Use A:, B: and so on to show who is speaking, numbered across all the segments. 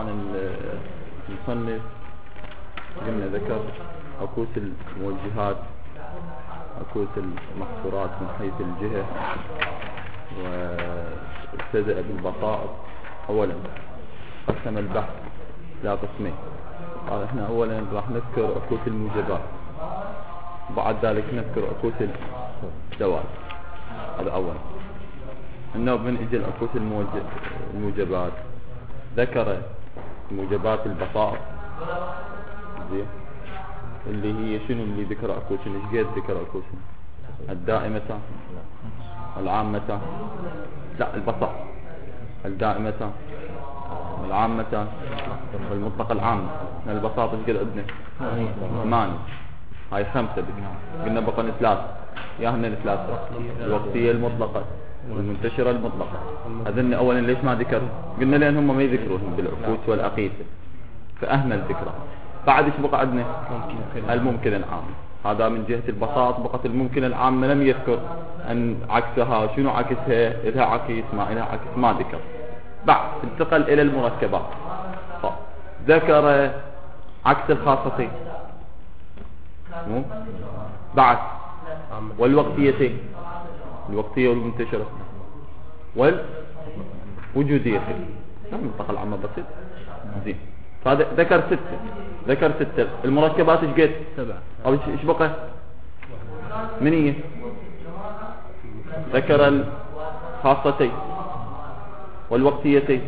A: طبعا المصنف قلنا ذكر عكوس الموجهات، عكوس المحصورات من حيث الجهة، وابتدأ بالبسائط. اولا قسم البحث لا قسمين. قال احنا اولا راح نذكر عكوس الموجبات، وبعد ذلك نذكر عكوس الدوال. هذا اولا. انه من اجل عكوس الموجبات ذكر موجبات البسائط زين، اللي هي شنو اللي ذكر عكوسهم؟ ايش قد ذكر عكوسهم؟ الدائمة، العامة، لا البسائط، الدائمة، العامة، والمطلق العام. البساطة ايش قد عندنا؟ 8. هاي 5 قلنا بقى 3. ياهن الثلاثة: الوقتية المطلقة، والمنتشرة المطلقة. هذن اولا ليش ما ذكر؟ قلنا لان هم ما يذكروهم بالعكوس والاقيسة فاهمل ذكرها. بعد ايش بقى عندنا؟ الممكن العام. هذا من جهة البساط. بقت الممكن العام لم يذكر ان عكسها شنو عكسها، لها عكس ما لها عكس ما ذكر. بعد انتقل الى المركبات، ذكر عكس الخاصتين بعد، والوقتيتين، الوقتية والمنتشرة والوجوديتين. المنطقة العامة بسيط زين. فهذا ذكر 6. المركبات ايش قد؟ 7. او ايش بقى؟ منية. ذكر الخاصتين والوقتيتين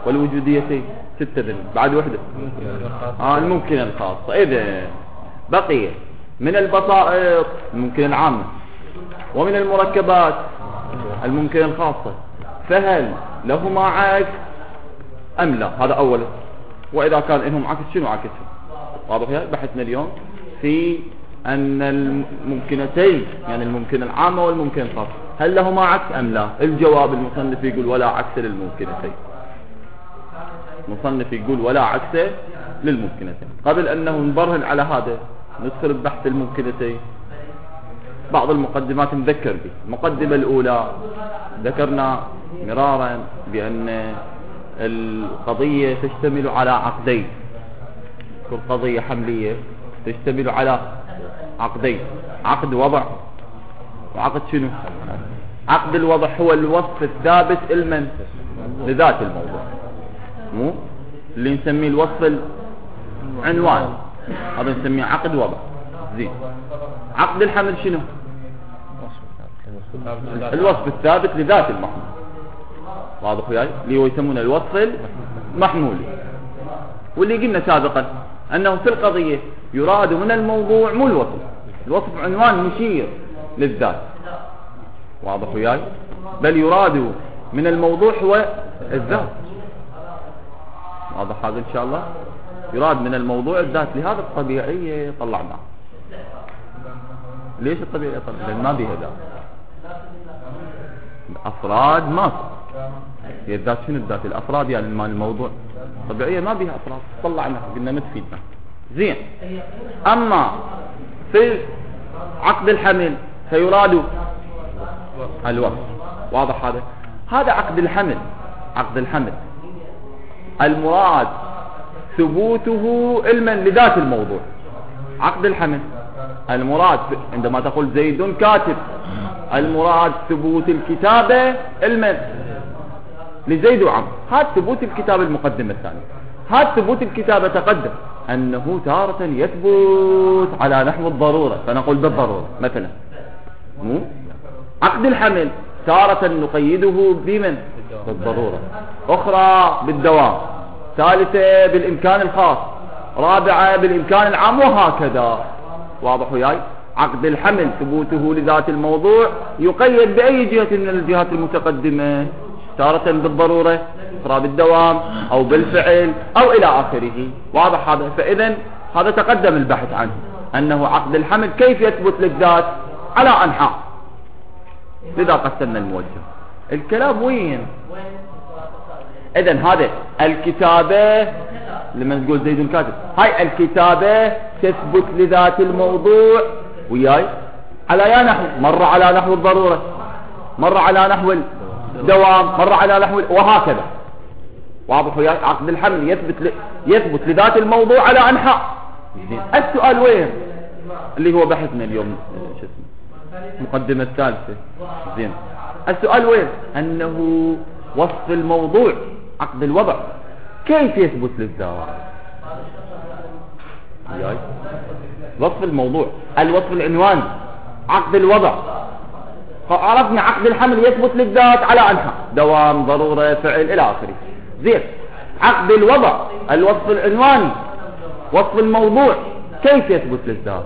A: والوجوديتين 6 ذن. بعد وحدة الممكن الخاصة. اذا بقي من البسائط الممكن العامة، ومن المركبات الممكن الخاصة، فهل لهما عكس ام لا؟ هذا اولا. واذا كان لهم عكس شنو عكسهم؟ واضح يا بحثنا اليوم في ان الممكنتين، يعني الممكن العامة والممكن الخاصة، هل لهما عكس ام لا؟ الجواب المصنف يقول ولا عكس للممكنتين. المصنف يقول ولا عكس للممكنتين. قبل انه نبرهن على هذا ندخل ببحث الممكنتين. بعض المقدمات نذكر به. المقدمة الاولى ذكرنا مرارا بان القضية تشتمل على عقدين. كل قضية حملية تشتمل على عقدين: عقد وضع وعقد شنو؟ عقد الوضع هو الوصف الثابت لمن؟ لذات الموضوع، مو اللي نسميه الوصف العنوان، هذا نسميه عقد وضع. زين. عقد الحمل شنو؟ الوصف الثابت لذات المحمول. واضح وياي؟ اللي هو يسمونه الوصف المحمول. واللي قلنا سابقا انه في القضية يراد من الموضوع مو الوصف. الوصف عنوان مشير للذات. واضح وياي؟ بل يراد من الموضوع هو الذات. واضح هذا ان شاء الله؟ يراد من الموضوع الذات. لهذا الطبيعية طلعناه. ليش الطبيعية طلعناه؟ لان ما بيها ذات. الافراد ماكو. هي الذات شنو الذات؟ الافراد يعني مال الموضوع. طبيعية ما بيها افراد، طلعناها قلنا ما تفيدنا. زين. اما في عقد الحمل فيراد الوصف. واضح هذا؟ هذا عقد الحمل. عقد الحمل المراد ثبوته علما لذات الموضوع. عقد الحمل المراد عندما تقول زيد كاتب، المراد ثبوت الكتابة علما لزيد وعمر. هذا ثبوت الكتابة المقدمة الثانية. هذا ثبوت الكتابة تقدم أنه تارة يثبت على نحو الضرورة، فنقول بالضرورة مثلا. مو عقد الحمل تارة نقيده بمن؟ بالضرورة، أخرى بالدوام، ثالثة بالإمكان الخاص، رابعة بالإمكان العام، وهكذا. واضح وياي؟ عقد الحمل ثبوته لذات الموضوع يقيد بأي جهة من الجهات المتقدمة، تارة بالضرورة، أخرى بالدوام، أو بالفعل، أو إلى آخره. واضح هذا؟ فإذا هذا تقدم البحث عنه، أنه عقد الحمل كيف يثبت للذات على أنحاء. لذا قسمنا الموجه. الكلام وين؟ إذن هذا الكتابة لما تقول زيد كاتب، هاي الكتابة تثبت لذات الموضوع وياي على يا نحو، مرة على نحو الضرورة، مرة على نحو الدوام، مرة على نحو وهكذا. واضح وياي؟ عقد الحمل يثبت لذات الموضوع على أنحاء. زين السؤال وين اللي هو بحثنا اليوم شو اسمه المقدمة الثالثة. زين السؤال وين أنه وصف الموضوع عقد الوضع كيف يثبت للذات؟ وياي؟ وصف الموضوع الوصف العنواني عقد الوضع. عرفنا عقد الحمل يثبت للذات على أنحاء دوام ضرورة فعل إلى آخره. زين عقد الوضع الوصف العنواني وصف الموضوع كيف يثبت للذات؟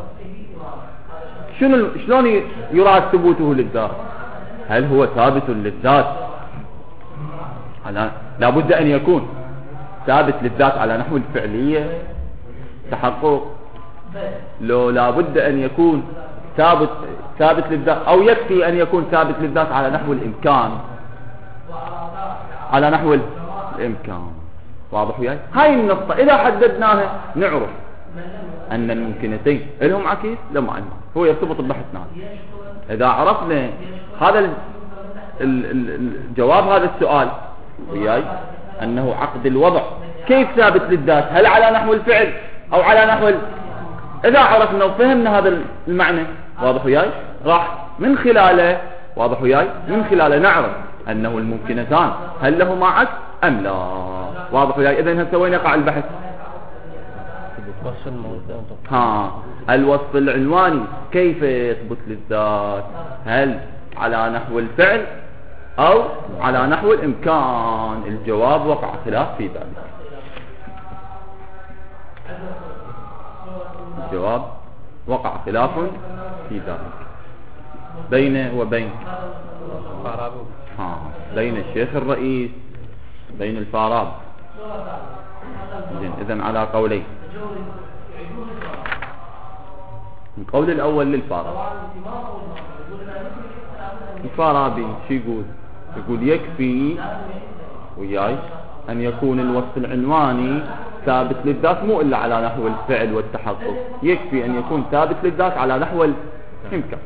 A: شلون يراد ثبوته للذات؟ هل هو ثابت للذات لابد أن يكون ثابت للذات على نحو الفعلية تحقق، لو لابد أن يكون ثابت للذات، أو يكفي أن يكون ثابت للذات على نحو الإمكان، على نحو الإمكان. واضح وياي؟ هاي النقطة إذا حددناها نعرف أن الممكنتين لهم عكس لهم عكس، هو يرتبط ببحثنا. إذا عرفنا هذا الجواب هذا السؤال وياي أنه عقد الوضع كيف ثابت للذات، هل على نحو الفعل أو على نحو إذا عرفنا وفهمنا هذا المعنى واضح وياي راح من خلاله واضح وياي من خلاله نعرف أنه الممكنتان هل لهما عكس أم لا. واضح وياي؟ إذن هسه وين يقع البحث؟ الوصف العنواني كيف يثبت للذات، هل على نحو الفعل أو على نحو الإمكان؟ الجواب وقع خلاف في ذلك. الجواب وقع خلاف في ذلك بينه وبين بين الشيخ الرئيس بين الفارابي. إذن على قولين. القول الأول للفارابي. الفارابي شو يقول؟ يقول يكفي وياي أن يكون الوصف العنواني ثابت للذات مو إلا على نحو الفعل والتحقق، يكفي أن يكون ثابت للذات على نحو الإمكان.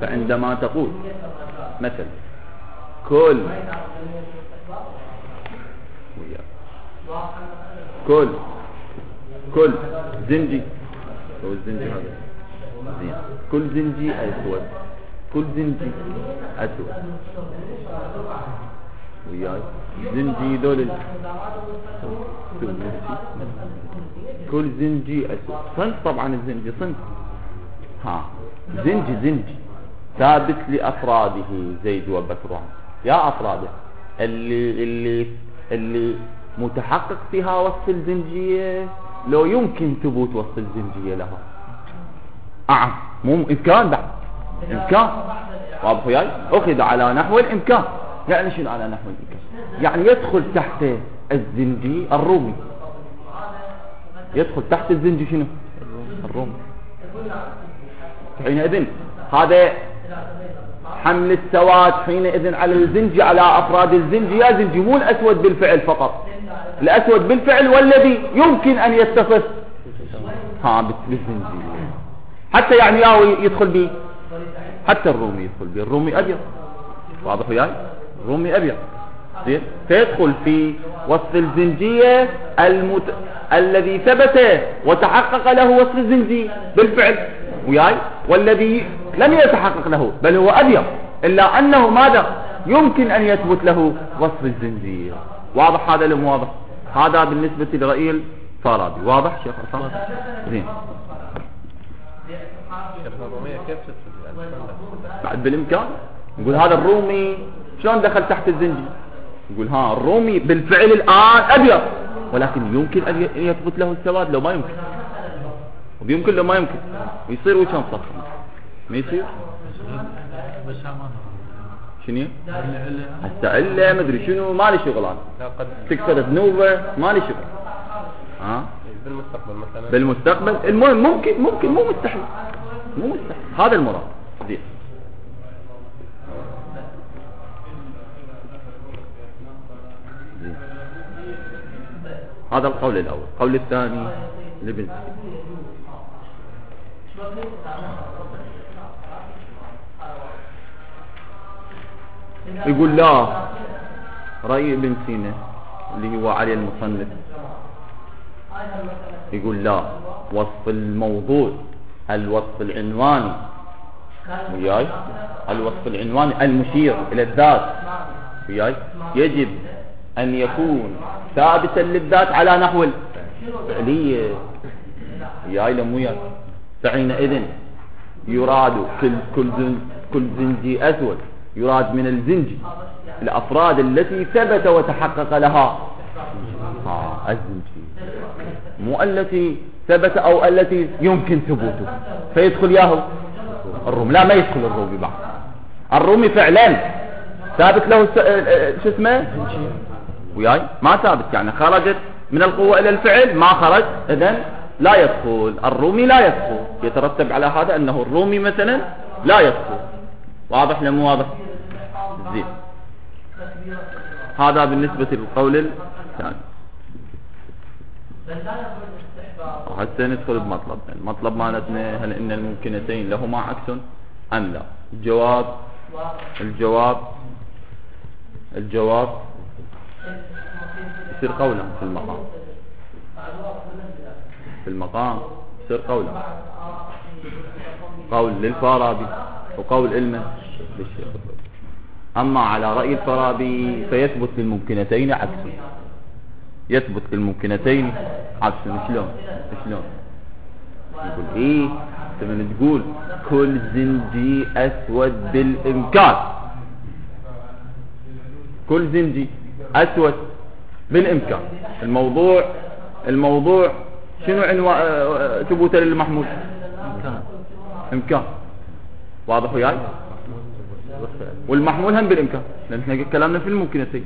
A: فعندما تقول مثلا كل زنجي هو الزنجي هذا زين، كل زنجي أسود، كل زنجي أسود وياي زنجي دول كل زنجي أسود صنف. طبعا الزنجي صنف زنجي ثابت لأفراده زيد وبكر، يا أفراده اللي متحقق فيها وصف الزنجية لو يمكن ثبوت وصف الزنجية لها مو إمكان بعد إمكان. واضح وياي؟ أخذ على نحو الإمكان. يعني شنو على نحو الإمكان؟ يعني يدخل تحت الزنجي الرومي، يدخل تحت الزنجي شنو؟ الرومي. حينئذ هذا حمل السواد حينئذ على الزنجي على أفراد الزنجي، يا زنجي مو الأسود بالفعل فقط، الأسود بالفعل والذي يمكن أن يتصف بالزنجي، حتى يعني يدخل به حتى الرومي يدخل به، الرومي أبيض. واضح وياي؟ الرومي أبيض زين، فيدخل في وصف الزنجية الذي ثبت وتحقق له وصف الزنجي بالفعل وياي، والذي لم يتحقق له بل هو أبيض إلا أنه ماذا يمكن أن يثبت له وصف الزنجية. واضح هذا لم واضح؟ هذا بالنسبة لرأي الفارابي. واضح شيخ عصام؟ زين. بعد بالإمكان نقول هذا الرومي شلون دخل تحت الزنجي؟ نقول الرومي بالفعل الآن أبيض، ولكن يمكن أن يثبت له السواد لو ما يمكن، وبيمكن لو ما يمكن ويصير وشان صف ما يصير. شنو حتى إلا مدري شنو مالي شغل أنا تكسر ذنوبه مالي شغل. بالمستقبل مثلا بالمستقبل المهم ممكن مو مستحيل هذا المراد. دي هذا القول الأول. القول الثاني لابن يقول لا، رأي ابن سينا اللي هو علي المصنف يقول لا، وصف الموضوع الوصف العنواني وياي، الوصف العنواني المشير إلى الذات وياي يجب أن يكون ثابتا للذات على نحو الفعلية وياي لموياي. فحينئذ يراد كل زنجي أسود يراد من الزنجي الأفراد التي ثبت وتحقق لها الزنجي، مو التي ثبت أو التي يمكن ثبوته فيدخل ياهو الرومي. لا، ما يدخل الرومي بعد. الرومي فعلا ثابت له شو اسمه وياي، ما ثابت يعني خرجت من القوة إلى الفعل ما خرج، إذن لا يدخل الرومي، لا يدخل. يترتب على هذا أنه الرومي مثلا لا يدخل. واضح لم واضح؟ زين. هذا بالنسبة للقول الثاني. هسه ندخل بمطلب. المطلب مالتنا هل إن الممكنتين لهما عكس أم لا؟ الجواب يصير قولا في المقام يصير قولا، قول للفارابي وقول علما للشيخ. أما على رأي الفارابي فيثبت للممكنتين عكس، يثبت للممكنتين عكس. شلون؟ يقول ايه تبين تقول كل زنجي أسود بالإمكان، كل زنجي أسود بالإمكان. الموضوع شنو ثبوته للمحمول؟ إمكان. واضح وياي؟ والمحمول هم بالإمكان، لأن احنا كلامنا في الممكنتين.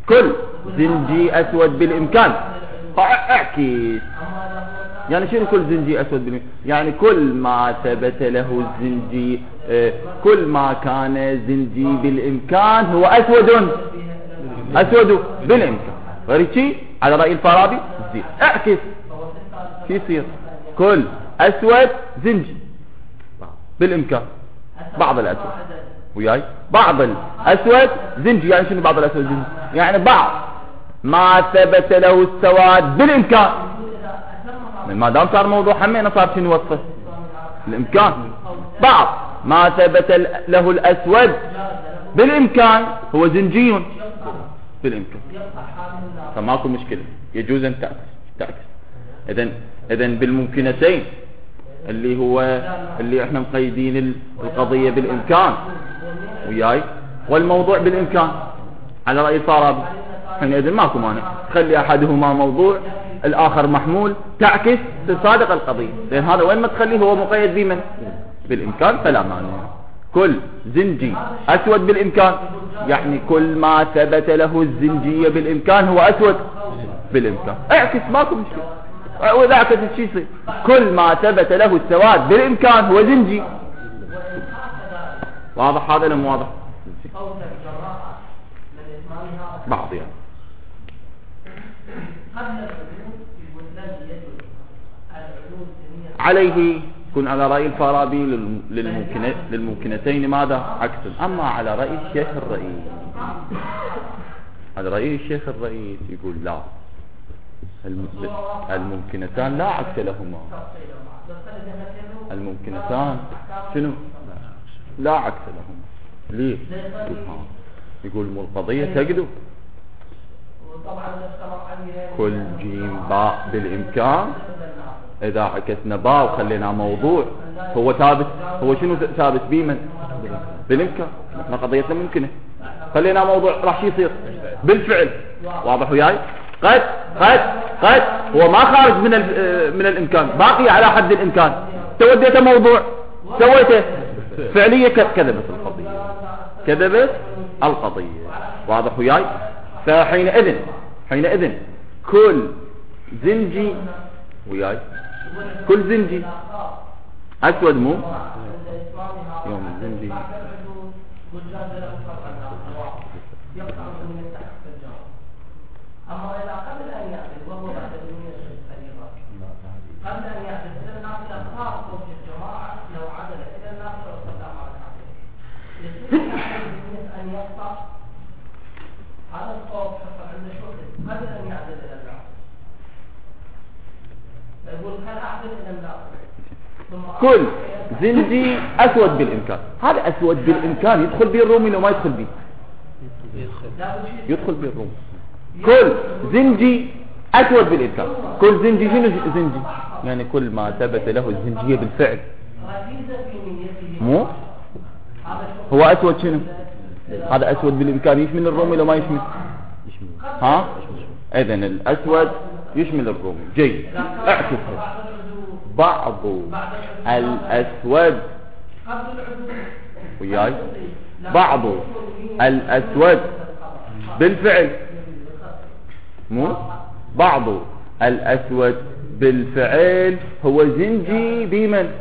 A: كل زنجي أسود بالإمكان اعكس. يعني شنو كل زنجي أسود بالإمكان؟ يعني كل ما ثبت له الزنجي، كل ما كان زنجي بالإمكان هو أسود بالإمكان. غير شيء على رأي الفارابي زين اعكس شو يصير؟ كل أسود زنجي بالإمكان، بعض الأسود وياي، بعض الأسود زنجي. يعني شنو بعض الأسود زنجي؟ يعني بعض ما ثبت له السواد بالإمكان. ما دام صار موضوع حمينا صار شنو وصفه؟ الإمكان. بعض ما ثبت له الأسود بالإمكان هو زنجي بالإمكان، فماكو مشكلة، يجوز أن تعكس. إذن بالممكنتين اللي احنا مقيدين القضية بالإمكان وياي، والموضوع بالإمكان على رأي الفارابي، حينئذ ماكو مانع تخلي أحدهما موضوع الآخر محمول، تعكس تصادق القضية. لأن هذا وين ما تخليه هو مقيد بمن؟ بالإمكان، فلا مانع. كل زنجي أسود بالإمكان يعني كل ما ثبت له الزنجية بالإمكان هو أسود بالإمكان. اعكس ماكو مشكلة. وإذا اعكس الشيء يصير كل ما ثبت له السواد بالإمكان هو زنجي. واضح هذا ولا مو واضح؟ بعض يعني عليه يكون على رأي الفارابي للممكنتين ماذا؟ عكس. أما على رأي الشيخ الرئيس، على رأي الشيخ الرئيس يقول لا، الممكنتان لا عكس لهما. الممكنتان شنو؟ لا عكس لهما. ليه؟ يقول مو القضية تقدم كل جيم باء بالإمكان. إذا عكسنا باء وخلينا موضوع هو ثابت، هو شنو ثابت بمن؟ بالإمكان. احنا قضيتنا ممكنة، خلينا موضوع راح يصير بالفعل. واضح وياي؟ قد هو ما خارج من الإمكان، باقي على حد الإمكان. توديته موضوع، سويته فعلية، كذبت القضية. واضح وياي؟ فحينئذ كل زنجي وياي، كل زنجي أسود مو يوم الزنجي
B: أما إذا قبل أن يأخذ وهو بعد الدنيا الفريضة، قبل أن يأخذ إلى النافلة خاصة في الجماعة لو عدل إلى النافلة وصلى مع الحاكم، يصير أن يقطع قبل أن يعدل إلى الناقص. يقول كان أعدل إلى الناقص.
A: كل زنجي أسود بالإمكان، هذا أسود بالإمكان يدخل به الرومي لو ما يدخل به؟ يدخل به الرومي. كل زنجي أسود بالإمكان، كل زنجي شنو زنجي؟ يعني كل ما ثبت له الزنجية بالفعل. مو هو أسود شنو؟ هذا أسود بالإمكان يشمل الرومي لو ما يشمل؟ ها؟ إذن الأسود يشمل الرومي. جيد، اعكسها. بعض الأسود وياي بعض الأسود بالفعل، مو بعض الأسود بالفعل هو زنجي بمن؟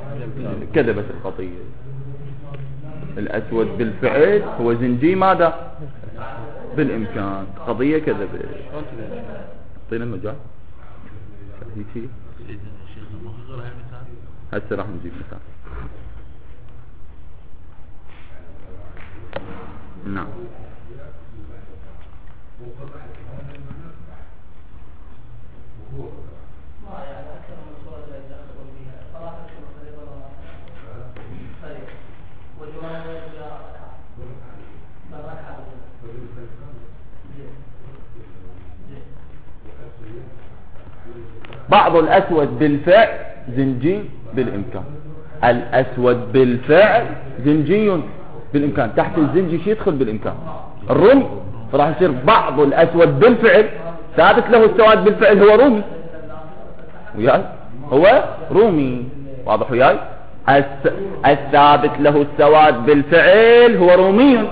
A: كذبت الخطية. الأسود بالفعل هو زنجي ماذا؟ بالإمكان. قضية كذبة. اعطينا المجال هيك هسه راح نجيب مثال. نعم. بعض الأسود بالفعل زنجي بالإمكان. الأسود بالفعل زنجي بالإمكان. تحت الزنجي شي يدخل بالإمكان؟ الرومي. فراح يصير بعض الأسود بالفعل ثابت له السواد بالفعل هو رومي. وياي هو رومي. واضح وياي؟ الثابت له السواد بالفعل هو رومي،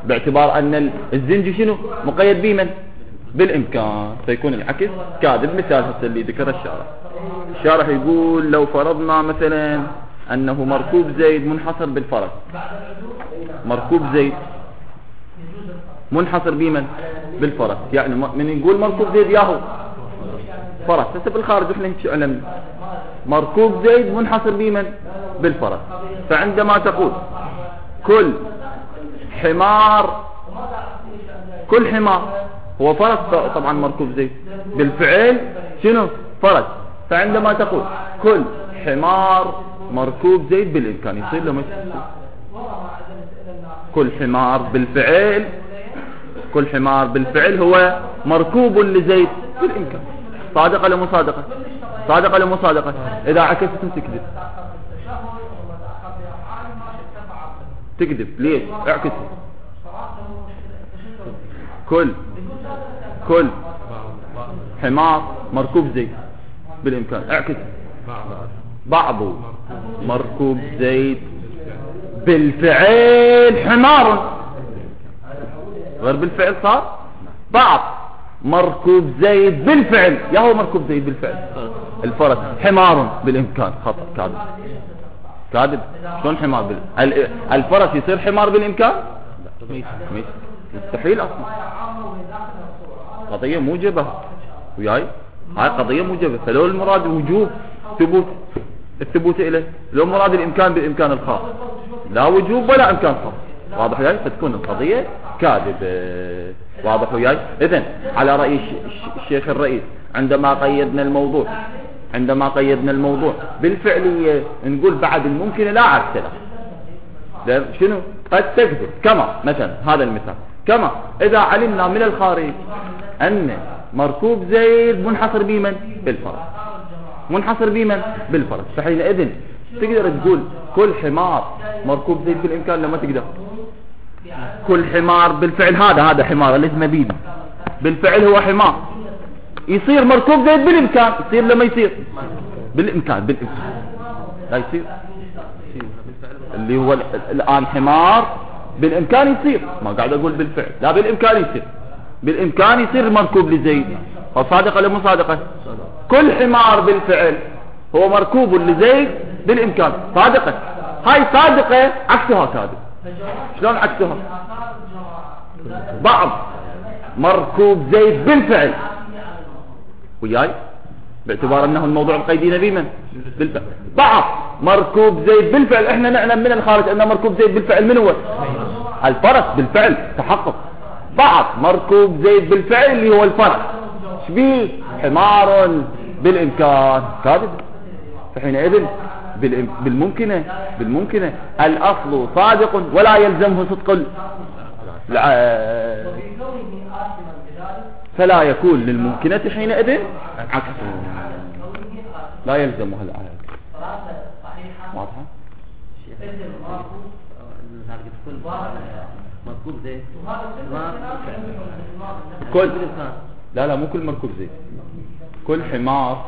A: باعتبار أن الزنجي شنو مقيد بمن؟ بالإمكان. فيكون العكس كاذب. مثال هسه اللي ذكر الشارح يقول لو فرضنا مثلا أنه مركوب زيد منحصر بالفرس. مركوب زيد منحصر بمن؟ بالفرس. يعني من يقول مركوب زيد ياهو فرس. هسه بالخارج احنا هيك علمنا مركوب زيد منحصر بمن؟ بالفرس. فعندما تقول كل حمار هو فرس، طبعا مركوب زيد بالفعل شنو؟ فرس. فعندما تقول كل حمار مركوب زيد بالإمكان يصير له مثل كل حمار بالفعل هو مركوب لزيد بالإمكان. صادقة ولا مصادقة؟ صادقة ولا مصادقة؟ إذا عكستم تكذب. ليش؟ اعكسوا. كل حمار مركوب زيد بالإمكان. اعكس. بعض مركوب زيد بالفعل حمار. غير بالفعل صار بعض مركوب زيد بالفعل. يا هو مركوب زيد بالفعل الفرس حمار بالإمكان. خطأ. كاذب. شلون حمار الفرس يصير حمار بالإمكان؟ مستحيل أصلا. قضية موجبة وياي. هاي قضية موجبة. فلو المراد وجوب الثبوت إليه، لو مراد الإمكان بالإمكان الخاص، لا وجوب ولا إمكان خاص. واضح وياي؟ فتكون القضية كاذبة. واضح وياي؟ إذن على رأي الشيخ الرئيس عندما قيدنا الموضوع بالفعلية نقول بعد الممكن لا عكس له. شنو؟ قد تكذب. كما مثلا هذا المثال، كما إذا علمنا من الخارج أن مركوب زيد منحصر بمن؟ بالفرس. فحينئذ تقدر تقول كل حمار مركوب زيد بالإمكان. لما تقدر كل حمار بالفعل هذا حمار اللي اسمه بيبي بالفعل هو حمار يصير مركوب زيد بالإمكان. يصير لما يصير بالإمكان لا يصير. اللي هو الآن حمار بالإمكان يصير. ما قاعد أقول بالفعل، لا بالإمكان يصير مركوب لزيد. صادقة ولا مو صادقة؟ كل حمار بالفعل هو مركوب لزيد بالإمكان. صادقة. هاي صادقة عكسها كاذب. شلون عكسها؟ بعض مركوب زيد بالفعل وياي باعتبار أنه الموضوع مقيدين بمن؟ بالفعل. بعض مركوب زيد بالفعل. احنا نعلم من الخارج أن مركوب زيد بالفعل من هو؟ الفرس بالفعل. تحقق بعض مركوب زيد بالفعل اللي هو الفرس شبيه حمار بالامكان كاذب. فحينئذ بالممكنة الاصل صادق ولا يلزمه صدق فلا يكون للممكنة حينئذ عكسه لا يلزمها الآية. واضحة؟
B: مركوب زيت
A: كل لا مو كل مركوب زيت، كل حمار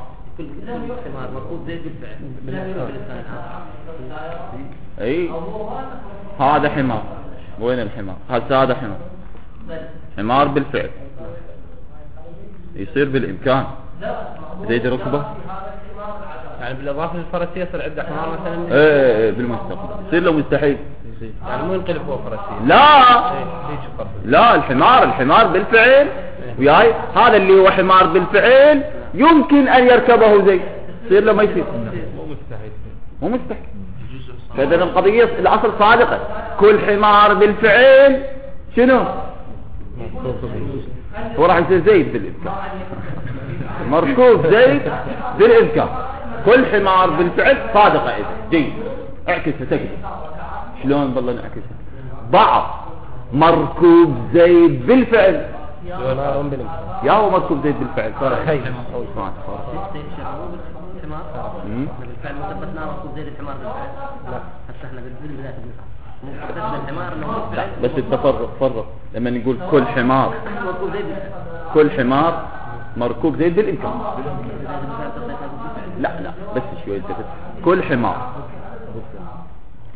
B: مركوب زيت بالفعل.
A: اي هذا حمار. وين الحمار؟ هذا حمار بالفعل يصير بالامكان زيد ركبه
B: يعني بالاضافه للفرسيه يصير عنده حمار مثلا.
A: ايه بالمستقبل يصير له مستحيل
B: يعني مو ينقلب هو فرسيه.
A: لا الحمار بالفعل وياي هذا اللي هو حمار بالفعل يمكن ان يركبه زيد يصير له ما يصير مو مستحيل. فإذا القضية الأصل صادقة كل حمار بالفعل شنو هو راح يصير زيد بالإمكان مركوب زيد بالإمكان كل حمار بالفعل صادقة. إذا جيد اعكسها تكذب شلون بالله نعكسها بعض مركوب زيد بالفعل يا هو مركوب زيد بالفعل
B: بالفعل ما ثبتنا مركوب زيد الحمار بالفعل. لا حتى احنا بالبداية بنفهم الحمار انه بالفعل.
A: بس التفرق لما نقول كل حمار كل حمار مركوب زيد بالامكان. لا بس شوي كل حمار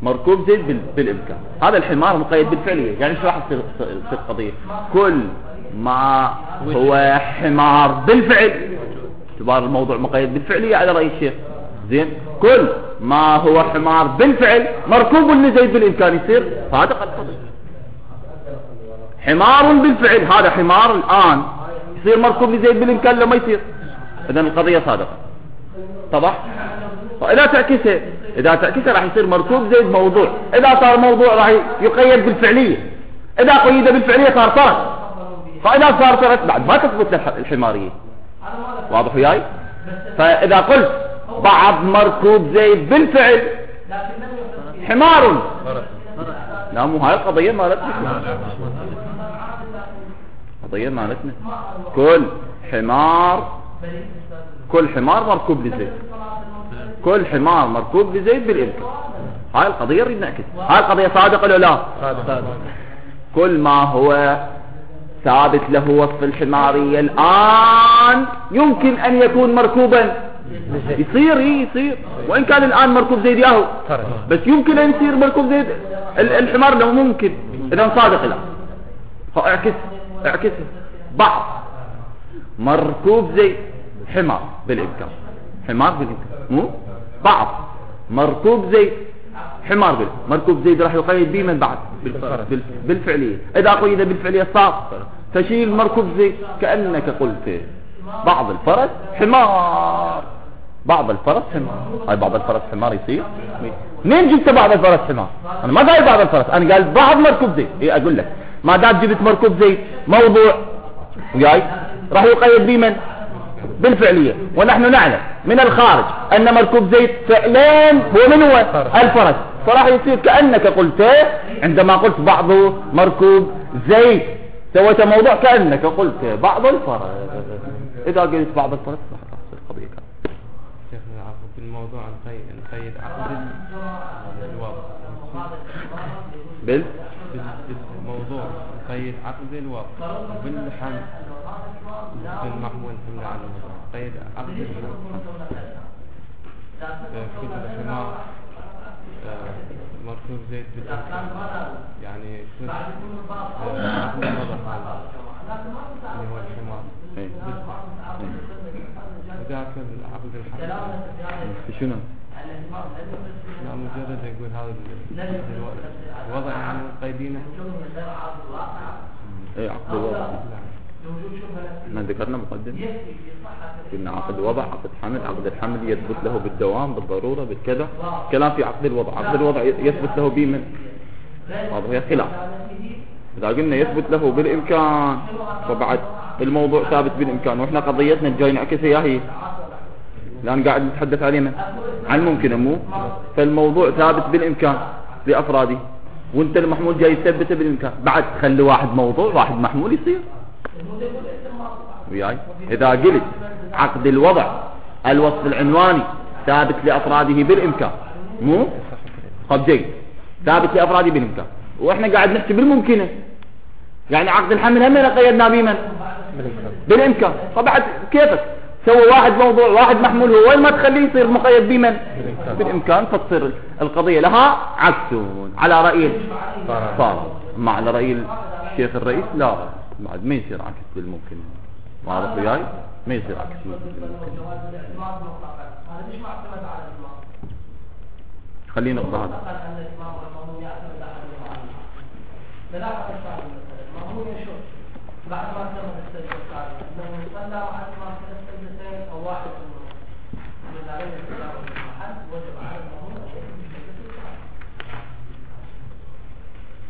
A: مركوب زيد بالامكان هذا الحمار مقيد بالفعلية. يعني شو راح تصير القضية كل ما هو حمار بالفعل اعتبار الموضوع مقيد بالفعلية على رأي الشيخ زين كل ما هو حمار بالفعل مركوب لزيد بالامكان يصير صادق القضية. حمار بالفعل هذا حمار الان يصير مركوب لزيد بالامكان لما يصير اذا القضية صادقة طبعا. فاذا تعكسها راح يصير مركوب زيد موضوع. اذا صار موضوع راح يقيد بالفعلية. اذا قيد بالفعلية صار فرس. فاذا صار فرس بعد ما تثبت الحمارية. واضح وياي؟ فاذا قلت بعض مركوب زيد بالفعل حمار لا مو هاي القضية مالتنا. قضية مالتنا كل حمار مركوب لزيد كل حمار مركوب لزيد بالامكان. هاي القضية نريد نعكس. هاي القضية صادقة ولا لا؟ كل ما هو ثابت له وصف الحمارية الآن يمكن أن يكون مركوبا يصير وإن كان الآن مركوب زيد ياهو بس يمكن أن يصير مركوب زيد الحمار لو ممكن. إذا صادق لا اعكس بعض مركوب زيد حمار بالإمكان مو بعض مركوب زيد حمار مركوب زيد راح يقيد به من بعد بالفعلية. إذا قيد بالفعلية صار تشيل مركوب زيد كأنك قلت بعض الفرس حمار هاي بعض الفرس حمار يصير منين جبت بعض الفرس حمار؟ أنا ما قايل بعض الفرس أنا قال بعض مركوب زيد. إيه أقول لك ما دام جبت مركوب زيد موضوع وياي راح يقيد به من بالفعلية. ونحن نعلم من الخارج أن مركوب زيد فعلين من هو الفرس. فراح يصير كأنك قلت عندما قلت بعض مركوب زيد سويت موضوع كأنك قلت بعض الفرس. إذا قلت بعض الفرس راح تصير قضية كاملة.
C: شيخنا عفوا في الموضوع نقيد عقد الوضع بالموضوع نقيد عقد الوضع بالحمل بالمحمول حمل على الوضع نقيد عقد الحمل كتب الحمار مركوب زيت بالإمكان يعني عقد الوضع اللي هو الحمار وذاك عقد الحمل
A: شنو؟
C: لا مجرد يقول هذا الوضع يعني قيدينه.
A: ايه عقد الوضع احنا ذكرنا مقدم قلنا عقد الوضع عقد حمل. عقد الحمل يثبت له بالدوام بالضرورة بالكذا. كلام في عقد الوضع يثبت له به من واضح خلاف إذا قلنا يثبت له بالإمكان فبعد الموضوع ثابت بالإمكان، وإحنا قضيتنا جاي نعكسها يا هي الآن قاعد نتحدث عليه عن ممكن مو، فالموضوع ثابت بالإمكان لأفراده، وانت المحمول جاي تثبته بالإمكان، بعد خلي واحد موضوع واحد محمول يصير وياي. إذا قلت عقد الوضع الوصف العنواني ثابت لأفراده بالإمكان مو طب جيد ثابت لأفراده بالإمكان، وإحنا قاعد نحكي بالممكنة، يعني عقد الحمل هم قيدنا بمن بالإمكان، فبعد كيفك سوى واحد موضوع واحد محمول هو وين ما تخليه يصير مقيد بمن بالإمكان، فتصير القضية لها عكس على رأي فارغ، أما على رأي الشيخ الرئيس لا بعد ما يصير عكس بالممكن، واضح وياي ما يصير عكس بالممكن. خلينا نقطع هذا بعد ما تم السجدة الثالثة أنه يصلى مع الإمام في السجدتين أو واحد من عليه التجاوز المحل وجب على المأموم أن يكون في السجدة الثالثة.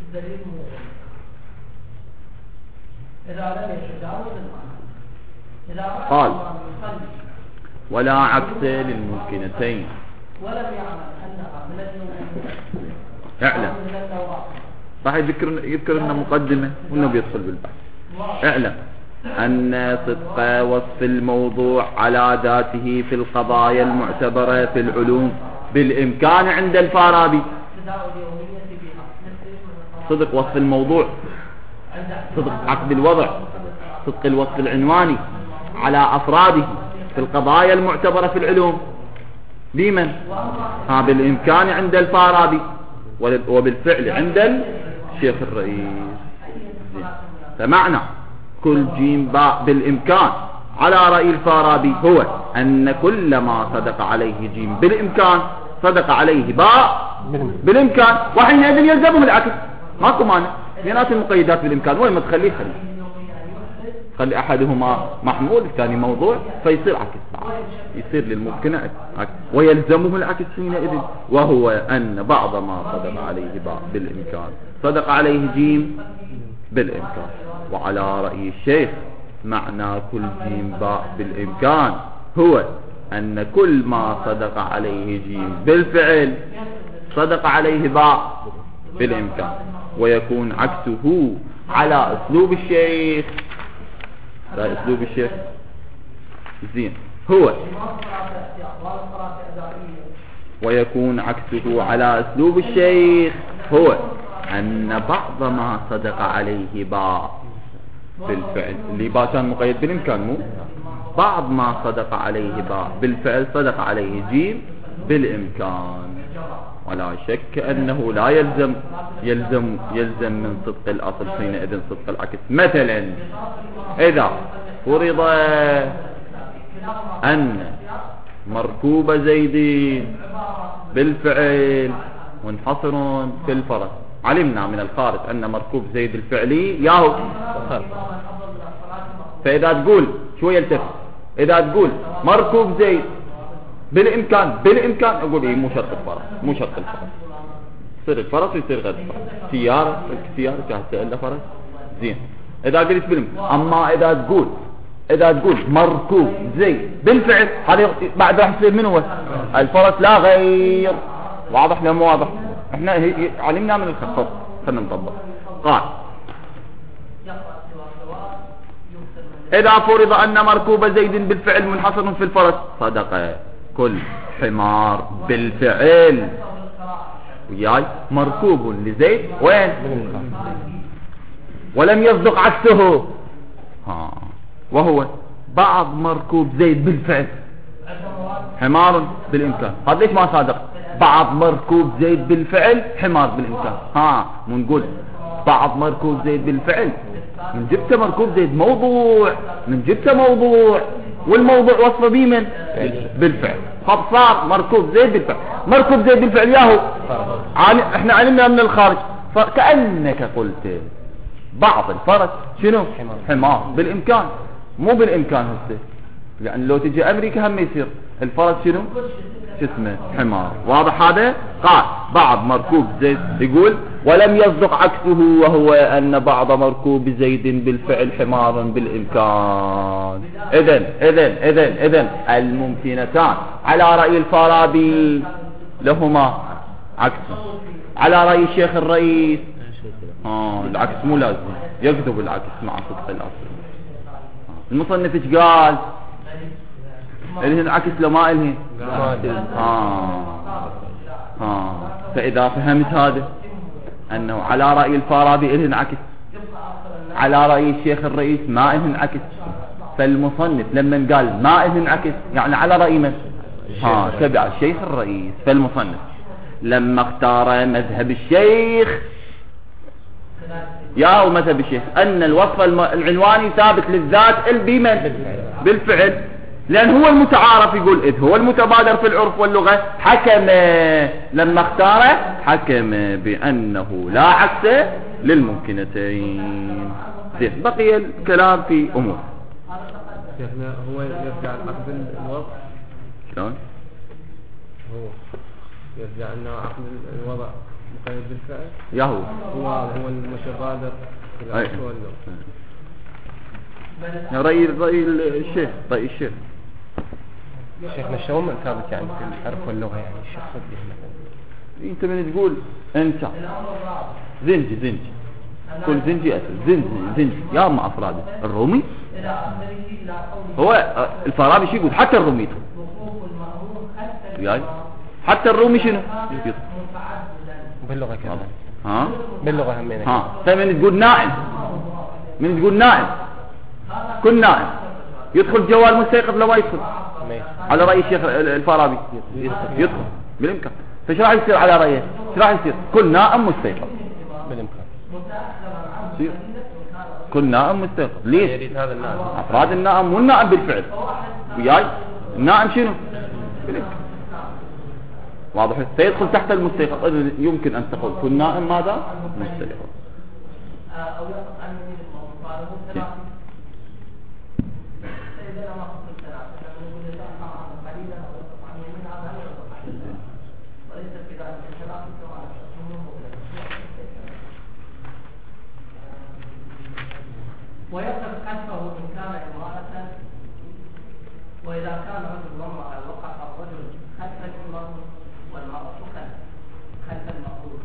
A: الدليل موجود إذا لم يتجاوز المحل إذا قال ولا عكس للممكنتين ولم يعمل أنها من الممكنتين اعلم راح يذكر لنا مقدمة وإنه بيدخل بالبحث. اعلم أن صدق وصف الموضوع على ذاته في القضايا المعتبرة في العلوم بالإمكان عند الفارابي. صدق وصف الموضوع، صدق عقد الوضع، صدق الوصف العنواني على أفراده في القضايا المعتبرة في العلوم بمن؟ بالإمكان عند الفارابي وبالفعل عند الشيخ الرئيس. فمعنى كل جيم باء بالإمكان على رأي الفارابي هو أن كل ما صدق عليه جيم بالإمكان صدق عليه باء بالإمكان، وحينئذ يلزمه العكس، ماكو مانع بينات المقيدات بالإمكان، وين ما تخليه خلي أحدهما محمول الثاني موضوع فيصير عكس، يصير للممكن عكس ويلزمه العكس حينئذ، وهو أن بعض ما صدق عليه باء بالإمكان صدق عليه جيم بالإمكان. وعلى رأي الشيخ معنى كل جيم باء بالإمكان هو أن كل ما صدق عليه جيم بالفعل صدق عليه باء بالإمكان، ويكون عكسه على أسلوب الشيخ. لا أسلوب الشيخ زين هو ويكون عكسه على أسلوب الشيخ هو أن بعض ما صدق عليه باء بالفعل، اللي باء كان مقيد بالإمكان مو، بعض ما صدق عليه باء بالفعل صدق عليه جيم بالإمكان، ولا شك أنه لا يلزم من صدق الأصل حينئذ صدق العكس. مثلا إذا فرض أن مركوب زيد بالفعل منحصر في الفرس، علمنا من الخارج أن مركوب زيد الفعلي ياهو، فإذا تقول شو يلتفت، إذا تقول مركوب زيد بالإمكان أقول إيه مو شرط الفرس، مو شرط الفرس، يصير الفرس ويصير غير الفرس، سيارة كهسه إلا فرس زين. إذا قلت بالإمكان، أما إذا تقول مركوب زيد بالفعل هذا بعد راح يصير من هو الفرس لا غير. واضح لا مو واضح؟ احنا علمنا من الخطط، خلنا نطبق. قال إذا فرض أن مركوب زيد بالفعل منحصر في الفرس صدق كل حمار بالفعل وياي مركوب لزيد وين ولم يصدق عكسه، وهو بعض مركوب زيد بالفعل حمار بالإمكان. هذا ليش ما صادق؟ بعض مركوب زيد بالفعل حمار بالإمكان، ونقول بعض مركوب زيد بالفعل من جبت مركوب زيد موضوع، من جبت موضوع والموضوع وصفه بمن بالفعل، فصار مركوب زيد بالفعل. مركوب زيد بالفعل ياهو احنا علمنا من الخارج، فكأنك قلت بعض الفرس شنو حمار بالإمكان، مو بالإمكان هسه، لأن لو تجي أمريكا هم يصير الفرس شنو شو اسمه حمار. واضح هذا؟ قال بعض مركوب زيد يقول ولم يصدق عكسه وهو أن بعض مركوب زيد بالفعل حمار بالإمكان. إذن الممكنتان على رأي الفارابي لهما عكس، على رأي الشيخ الرئيس العكس مو لازم، يكذب العكس مع صدق الأصل. المصنف ايش قال؟ الهن عكس لو ما الهن فإذا فهمت هذا أنه على رأي الفارابي الهن عكس، على رأي الشيخ الرئيس ما الهن عكس، فالمصنف لما قال ما الهن عكس يعني على رأي من؟ تبع الشيخ الرئيس. فالمصنف لما اختار مذهب الشيخ ومذهب الشيخ أن الوصف العنواني ثابت للذات بمن؟ بالفعل، لأن هو المتعارف يقول إذ هو المتبادر في العرف واللغة، حكم لما اختار حكم بأنه لا عكس للممكنتين. زين، بقي الكلام في أمور.
C: شيخنا هو يرجع عقد الوضع
A: شلون؟
C: هو يرجع أنه عقد الوضع مقيد بالفعل هو المتبادر في العرف واللغة.
A: رأي الشيخ
C: شيخنا شلون ثابت يعني في العرف واللغة يعني الشيخ صدق مثلا
A: انت من تقول انت زنجي كل زنجي اسد زنجي يا اما افراد الرومي هو الفارابي شو يقول حتى الرومي يعني حتى الرومي شنو
C: باللغة كذا باللغة همين
A: فمن تقول نائم كل نائم يدخل جوال مستيقظ لو ما يدخل على رأي الشيخ الفارابي يدخل بالإمكان. فايش راح يصير على رأيه؟ ايش راح يصير؟ كل نائم مستيقظ
C: بالإمكان
A: يصير كل نائم مستيقظ. ليش؟
C: يريد هذا النائم
A: أفراد النائم والنائم بالفعل وياي النائم شنو؟ بالإمكان. واضح؟ سيدخل تحت المستيقظ. إذن يمكن أن تقول كل نائم ماذا؟ مستيقظ.
B: ويقف خلفه إن كان امرأة، وإذا كان رجل وامرأة وقف الرجل خلف المرء والمرأة خلف المأمور،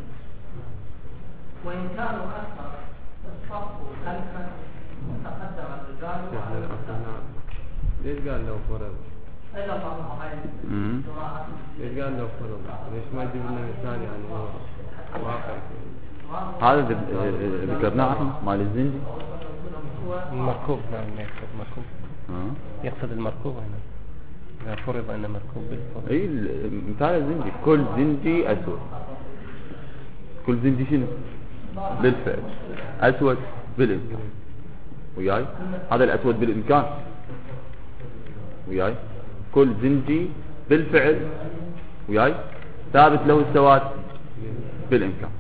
B: وإن كانوا أكثر الصف خلفا وتقدم الرجال على النساء.
C: ليش قال لو فرض؟
B: إلا الله هاي الجماعة.
C: ليش قال لو فرض؟ ليش ما يجيب لنا مثال يعني هو واقع؟
A: هذا ذكرناه احنا مال الزنجي
C: المركوب. نعم يقصد مركوب يقصد المركوب هنا إذا فرض أن مركوب بالفرض.
A: اي مثال الزنجي كل زنجي أسود. كل زنجي شنو؟ بالفعل أسود بالإمكان وياي هذا الأسود بالإمكان وياي كل زنجي بالفعل وياي ثابت له السواد بالإمكان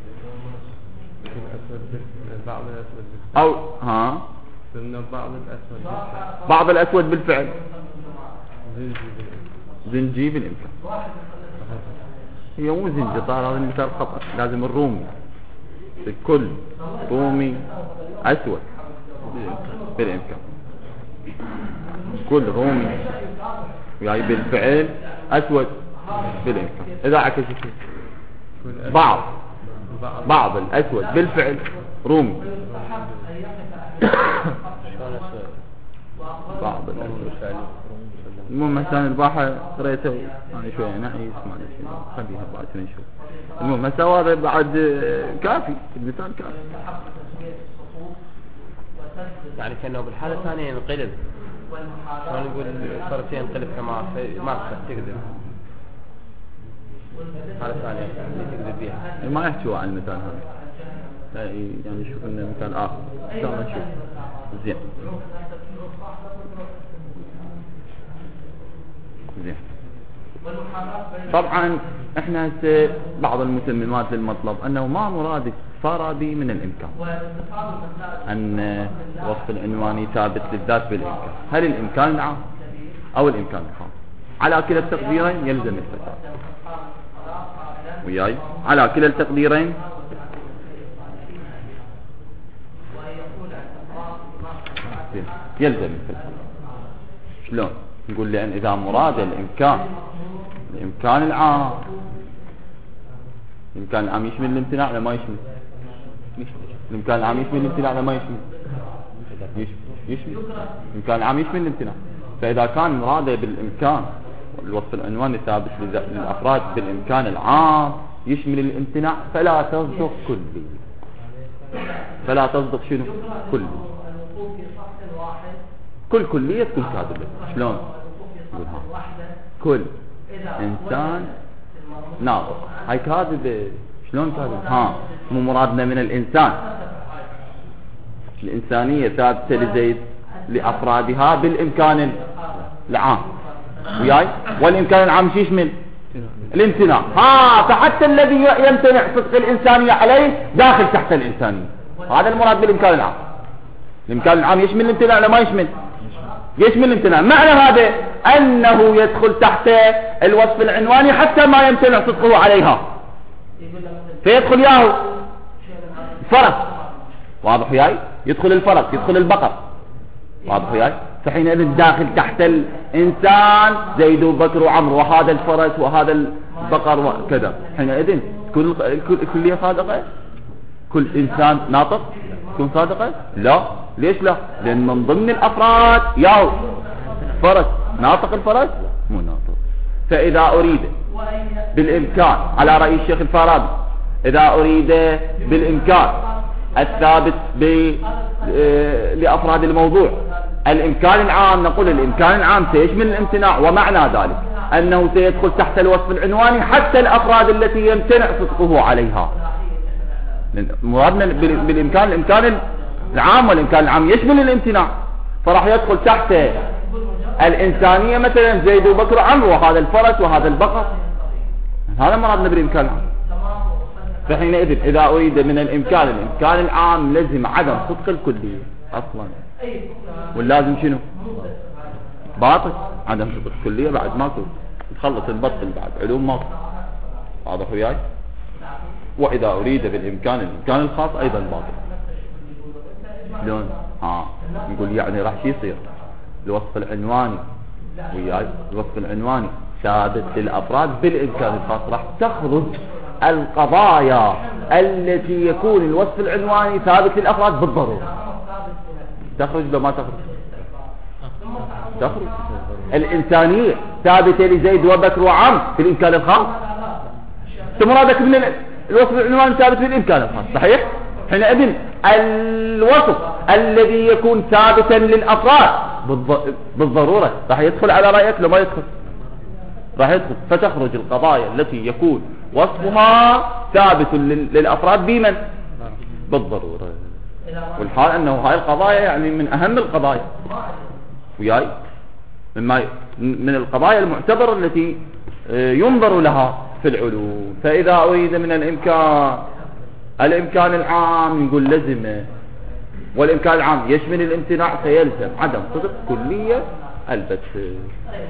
C: بعض الأسود
A: أو بعض الأسود بالفعل زنجي بالإمكان. هي مو زنجي طار هذا المثال خطأ. لازم الرومي الكل رومي أسود بالإمكان كل رومي يعني بالفعل أسود بالإمكان. إذا عكس بعض الأسود بالفعل رومي بعض الأسود. المهم مثلا الباحة قريته يعني شوية نعيس ما ادري شنو خليها بعد نشوف. المهم هسه هذا بعد كافي المثال كافي
C: يعني كأنه بالحالة الثانية ينقلب شلون نقول صار شيء ينقلب حمار ما تقدر حالة ثانية اللي تقدر بيها
A: ما يحكوا عن المثال هذا يعني شوف لنا مثال آخر إن شاء الله نشوف زين. طبعا احنا هسه بعض المتممات للمطلب انه ما مراد الفارابي من الامكان ان وصف العنواني ثابت للذات بالامكان. هل الامكان العام او الامكان الخاص؟ على كلا التقديرين يلزم الفساد. وياي على كلا التقديرين يلزم الفساد. شلون؟ نقول لأن إذا مراد الإمكان العام، الإمكان العام يشمل الامتناع ولا ما يشمل؟ الإمكان العام يشمل الامتناع ولا ما يشمل؟ يشمل. الإمكان العام يشمل الامتناع. فإذا كان مراده بالإمكان الوصف العنواني ثابت للأفراد بالإمكان العام يشمل الامتناع فلا تصدق كلي. فلا تصدق شنو؟ كلي. كل كلية تكون كاذبة. شلون؟ كل إنسان ناطق هاي كاذبة. شلون كاذبة؟ مو مرادنا من الإنسان. الإنسانية ثابتة لزيد لأفرادها بالإمكان العام. وياي والإمكان العام شو يشمل؟ الامتناع. فحتى الذي يمتنع صدق الإنسانية عليه داخل تحت الإنسانية. هذا المراد بالإمكان العام. الإمكان العام يشمل الامتناع ولا ما يشمل؟ يشمل الامتناع. معنى هذا أنه يدخل تحت الوصف العنواني حتى ما يمتنع صدقه عليها، فيدخل ياهو فرس. واضح وياي؟ يدخل الفرس، يدخل البقر. واضح وياي؟ فحينئذ داخل تحت الإنسان زيد وبكر وعمرو وهذا الفرس وهذا البقر وكذا. حينئذ كل كلية صادقة؟ كل إنسان ناطق تكون صادقة؟ لا. ليش لا؟ لأن من ضمن الأفراد ياهو فرس. ناطق الفرس؟ مو ناطق. فإذا أريد بالإمكان على رأي الشيخ الفارابي، إذا أريد بالإمكان الثابت لأفراد الموضوع الإمكان العام، نقول الإمكان العام سيشمل الامتناع، ومعنى ذلك أنه سيدخل تحت الوصف العنواني حتى الأفراد التي يمتنع صدقه عليها. مرادنا بالإمكان الإمكان العام، والإمكان العام يشمل الامتناع، فراح يدخل تحت الإنسانية مثلا زيد وبكر وعمرو وهذا الفرس وهذا البقر. هذا مرادنا بالإمكان العام. فحينئذ إذا أريد من الإمكان العام لازم عدم صدق الكلية أصلا، واللازم شنو؟ باطل. عدم صدق الكلية بعد ماكو، تخلص البطل بعد علوم ماكو. واضح وياي؟ وإذا أريد بالإمكان الخاص أيضا باطل. شلون؟ نقول يعني راح شي يصير الوصف العنواني وياي، الوصف العنواني ثابت للأفراد بالإمكان الخاص، راح تخرج القضايا التي يكون الوصف العنواني ثابت للأفراد بالضرورة. تخرج لو ما تخرج الإنسانية ثابتة لزيد وبكر وعمرو في الإمكان الخاص. مرادك من الوصف العنواني ثابت في الإمكان الخاص، صحيح؟ حينئذ الوصف الذي يكون ثابتا للأفراد بالضرورة راح يدخل على رأيك لو ما يدخل؟ راح يدخل. فتخرج القضايا التي يكون وصفها ثابت للأفراد بمن؟ بالضرورة. والحال أنه هاي القضايا يعني من أهم القضايا وياي، من القضايا المعتبرة التي ينظر لها في العلوم. فإذا أريد من الإمكان العام نقول لزمه، والإمكان العام يشمل الامتناع فيلزم عدم صدق كلية البتة.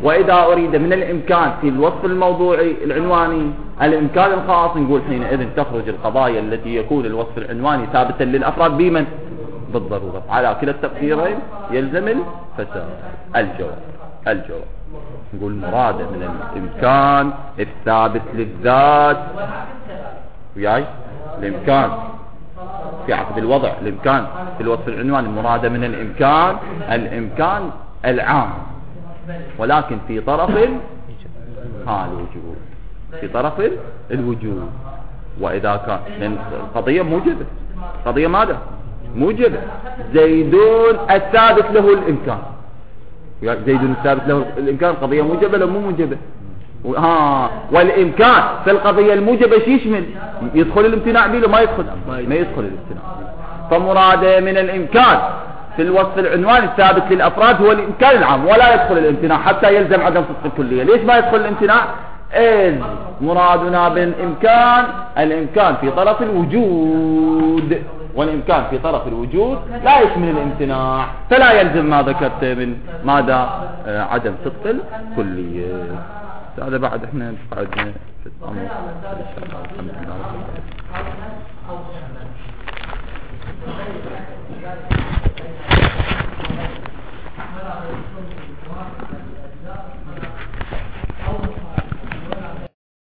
A: وإذا أريد من الإمكان في الوصف الموضوعي العنواني الإمكان الخاص نقول حينئذ تخرج القضايا التي يكون الوصف العنواني ثابتا للأفراد بمن؟ بالضرورة. على كلا التقديرين يلزم الفساد. الجواب نقول مراد من الإمكان الثابت للذات وياي، الإمكان في عقد الوضع، الإمكان في الوصف العنواني مراد من الإمكان العام، ولكن في طرف الوجود، في طرف الوجود. وإذا كان لأن القضية موجبة، قضية ماذا؟ موجبة. زيدون الثابت له الإمكان، زيدون الثابت له الإمكان، القضية موجبة لو مو موجبة؟ والإمكان في القضية الموجبة شو يشمل؟ يدخل الامتناع بيه ما يدخل؟ ما يدخل الامتناع. فمراده من الإمكان في الوصف العنواني الثابت للأفراد هو الإمكان العام، ولا يدخل الامتناع حتى يلزم عدم صدق الكلية. ليش ما يدخل الامتناع؟ إذ مرادنا بالإمكان الإمكان في طرف الوجود، والإمكان في طرف الوجود لا يشمل الامتناع، فلا يلزم ما ذكرت من ماذا عدم صدق الكلية. هذا بعد احنا قعدنا في الأمر إن شاء الله. الحمد لله رب العالمين.